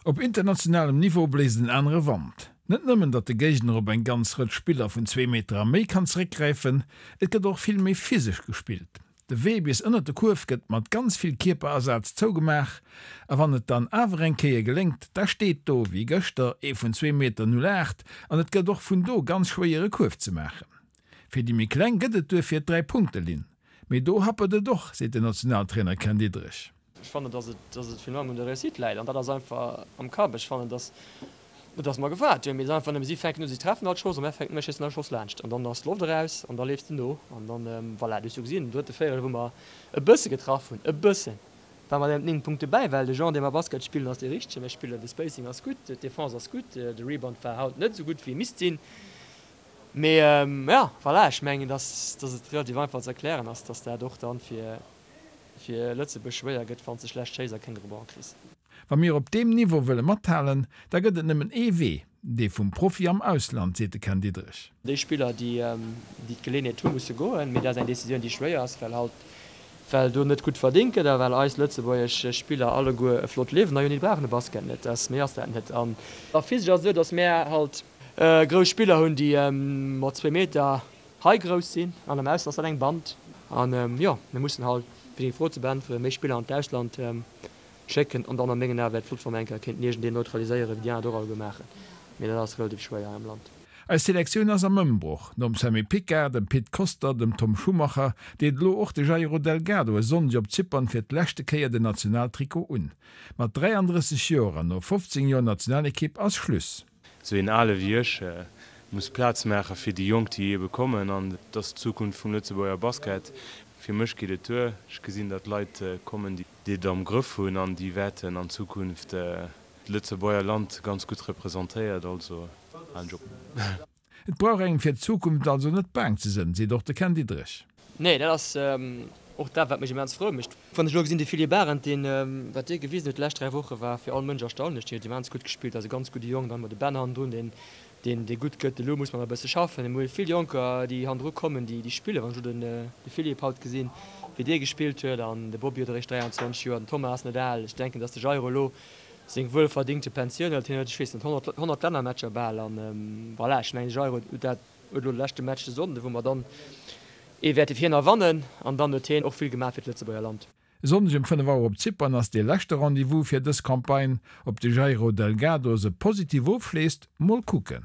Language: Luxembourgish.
Op internationalem Niveau bléist en anere Wand. Net nëmmen, datt de Géigner op eng ganz Rëtsch Spiller vun zwee Meter a méi kann zeréckgräifen, et gëtt och vill méi physesch gespillt. De Wee bis ënnert de Kuerf gëtt mat ganz vill Kierperasaz zougemaach a wann et dann awer eng Kéier geléngt, da steet do, wéi gëschter, ee vun zwee Meter 08 an et gëtt och vun do ganz schwéier e Kuerf ze maachen. Fir déi méi Kleng gëtt et duerfir d'Dräi-Punkte-Linn. Mee do happert et och, seet den Nationaltrainer Ken Diederich. Ech fannen, dass et, dass et virun allem un der Réussite läit an dat ass einfach am Kapp. Ech fannen, dass, net dass mer gewaart hunn, mee et ass einfach nëmme, si fänken u, si treffen all d'Schoss a mär fänken u, mär schéissen all Schoss laanscht an dann ass d'Loft eraus an da leefs de no an dann, voilà, du hues jo gesinn, den drëtte Véierel, wou mer e bësse getraff hunn, e bëssen, war mat engem 9 Punkte bäi, well de Genre, dee mer Basket spillen, ass dee richtegen. Mir spillen, de Spacing ass gutt, d'Defense ass gutt, de Rebound war haut net esou gutt, wéi e misst sinn. Mee jo, voilà, ech mengen, dass, dass et relativ einfach ze erklären ass, dass dat och dann fir, fir Lëtzebuerg schwéier gëtt, wann s de schlecht schéiss a keng Rebond kriss. Wa mir op deem Niveau wëlle mathalen, da gëtt et nëmmen ee Wee, dee vum Profi am Ausland, seet de Ken Diederich. Déi Spiller, déi d'Geleeënheet hunn, musse goen. Mee dat ass eng Decisioun, déi schwéier ass, well halt, well do net gutt verdéngt gëtt a well eis lëtzebuergesch Spiller alleguer e flott Liewen hei hunn. Déi brauchen de Basket net, dat, méi ass dat net. An physesch ass et esou, datt mär halt grouss Spiller hunn, déi mat zwéi Meter Hei grouss sinn an am Ausland ass dat eng Band. An jo, mir mussen halt, fir deng Fro ze beäntweren, méi Spiller an d'Ausland schécken. An dann a mengen Ae wär et flott, wa mer eng Kéier kéinten iergendeen neutraliséieren, wéi déi aner et och alleguer maachen. Mee dat ass relativ schwéier hei am Land. Eis Selektioun ass am Ëmbroch. Nom Sammy Picard, dem Pit Koster, dem Tom Schumacher, deet elo och de Jairo Delgado e Sonndeg op Zypern fir d'leschte Kéier den Nationaltrikot un. Mat 33 Joer an no 15 Joer Nationalekipp ass Schluss. Esou een Ale wéi ech muss Plaz maache fir déi Jonk, déi ebe kommen. An et ass d'Zukunft vum Lëtzebuerger Basket. Fir mech geet et duer. Ech gesinn, datt Leit kommen, déi et am Grëff hunn an déi wäerten an Zukunft d'Lëtzebuerger Land ganz gutt representéiert. Also halen ech op. Et brauch engem fir d'Zukunft also net baang ze sënn, seet och de Ken Diederich. Nee, dat ass och dat, wat mech immens frou mécht. Wann ech elo gesinn, de Philippe Arendt, deen, wat dee gewisen huet déi lescht 3 Woche war fir all Mënsch erstaunlech. Deen huet immens gutt gespillt, ass e ganz gudde Jong. Dann hu mer de Ben hannendrun, deen, deen, dee gutt gëtt. Elo muss mer nach e bësse schaffen. Mir hu vill Jonker, déi hannendru kommen, déi, déi spillen. Wann ech elo den, de Philippe haut gesinn, wéi dee gespillt huet, an de Bobby huet eréischt 23 Joer, den Thomas ass net al. Ech denken, datt de Jairo elo seng wuelverdingte Pensioun hëlt. Hien huet, ech weess net, 100, 100 Lännermatcher bal an voilà, ech mengen de Jairo huet dat, huet elo de leschte Match de Sonnden, wou mer dann ee wäerte fir hien erwannen an dann huet hien och vill gemaach fir d'Lëtzebuerger Land. E Sonndeg um 5 Auer op Zypern ass dee leschte Rendez-vous fir dës Campagne. Ob de Jairo Delgado se positiv ofschléisst, mol kucken.